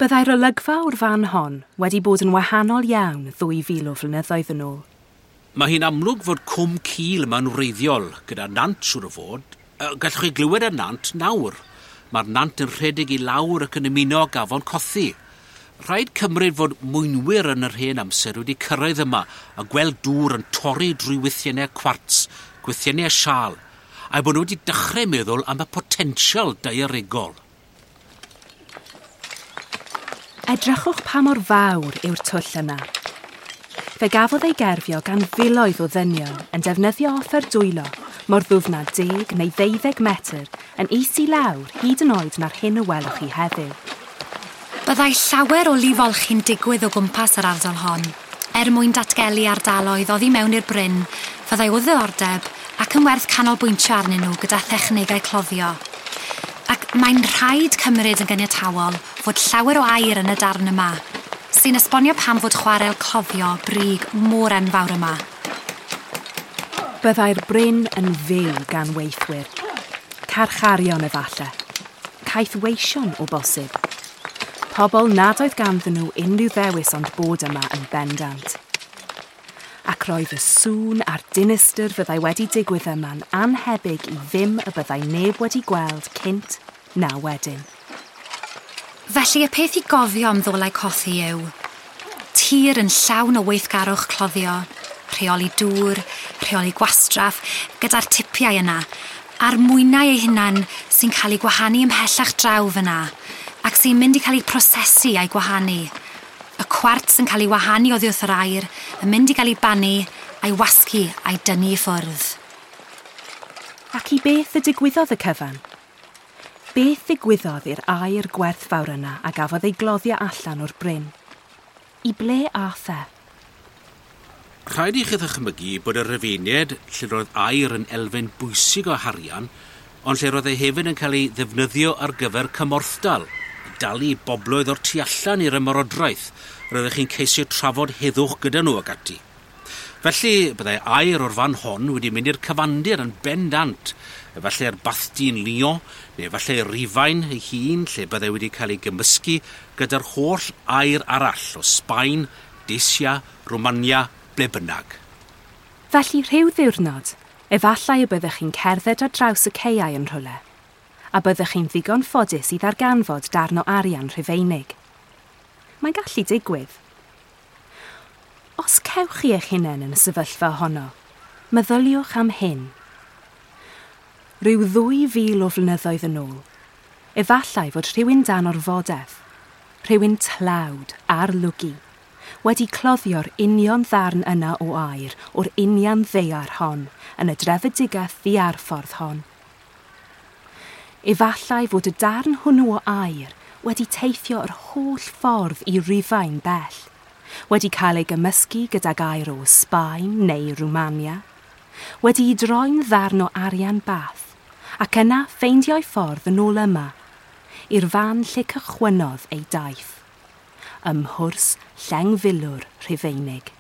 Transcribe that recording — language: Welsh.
Byddai'r olygfa o'r fan hon wedi bod yn wahanol iawn 2,000 o flynyddoedd yn ôl. Mae hi'n amlwg fod cwm cul yma'n wreiddiol, gyda nant siŵr o fod. Gallwch chi glywed y nant nawr. Mae'r nant yn rhedeg i lawr ac yn ymuno ag afon Cothi. Rhaid cymryd fod mwynwyr yn yr hen amser wedi cyrraedd yma a gweld dŵr yn torri drwy wythiennau cwarts, gwythiennau siâl, a'u bod nhw wedi dechrau meddwl am y potensial daearegol. Edrychwch pa mor fawr yw'r twll yna. Fe gafodd ei gerfio gan filoedd o ddynion yn defnyddio offer dwylo mor ddwfn â 10 neu 12 metr yn is i lawr hyd yn oed na'r hyn y welwch chi heddiw. Byddai llawer o lifolchi'n digwydd o gwmpas yr ardal hon, er mwyn datgelu ardaloedd oddi mewn i'r bryn, fyddai o ddiddordeb ac yn werth canolbwyntio arnyn nhw gyda thechnegau cloddio. Ac mae'n rhaid cymryd yn gyniatawol fod llawer o air yn y darn yma, sy'n esbonio pam fod chwarel cloddio brig mor enfawr yma. Byddai'r bryn yn fyw gan weithwyr. Carcharion efalle. Caethweision o bosib. Pobl nad oedd ganddyn nhw unrhyw ddewis ond bod yma yn bendant. Ac roedd y sŵn a'r dinistr fyddai wedi digwydd yma'n annhebyg i ddim y byddai neb wedi gweld cynt na wedyn. Felly y peth i gofio am Ddolau Cothi yw tir yn llawn o weithgarwch cloddio, rheoli dŵr, rheoli gwastraff, gyda'r tipiau yna, a'r mwynau eu hunan sy'n cael eu gwahanu ymhellach draw fyna, ac sy'n mynd i cael eu prosesu a'i gwahanu. Y cwarts yn cael ei wahanu oddi wrth yr aer, yn mynd i gael ei bannu, a'i wasgu a'i dynnu i ffwrdd. Ac i beth y digwyddodd y cyfan? Beth ddigwyddodd i'r aer gwerthfawr yna a gafodd ei gloddio allan o'r bryn? I ble ath e? Rhaid i chi ddychmygu bod y Rufeiniaid, lle roedd aer yn elfen bwysig o harian, ond lle roedd e hefyd yn cael ei ddefnyddio ar gyfer cymorthdal, dalu bobloedd o'r tu allan i'r ymerodraeth, roeddech chi'n ceisio trafod heddwch gyda nhw ac ati. Felly, byddai aer o'r fan hon wedi mynd i'r cyfandir yn bendant, efallai'r bathdy yn Lyon, neu efallai Rufain ei hun, lle byddai wedi cael ei gymysgu gyda'r holl aer arall o Sbaen, Dacia, Romania, ble bynnag. Felly rhyw ddiwrnod, efallai y byddech chi'n cerdded ar draws y caeau yn rhywle, a byddech chi'n ddigon ffodus i ddarganfod darn o arian Rhufeinig. Mae'n gallu digwydd. Os cewch chi eich hunain yn y sefyllfa honno, meddyliwch am hyn. Rhyw 2,000 o flynyddoedd yn ôl, efallai fod rhywun dan orfodaeth, rhywun tlawd ar lwgu, wedi cloddio'r union ddarn yna o aer o'r union ddaear hon yn y drefedigaeth ddiarffordd hon. Efallai fod y darn hwnnw o aer wedi teithio yr holl ffordd i Rufain bell, wedi cael ei gymysgu gydag aer o Sbaen neu Rwmania, wedi'i droi'n ddarn o arian Bath, ac yna ffeindio'i ffordd yn ôl yma, i'r fan lle cychwynnodd ei daith, ym mhwrs Llengfilwr Rhufeinig.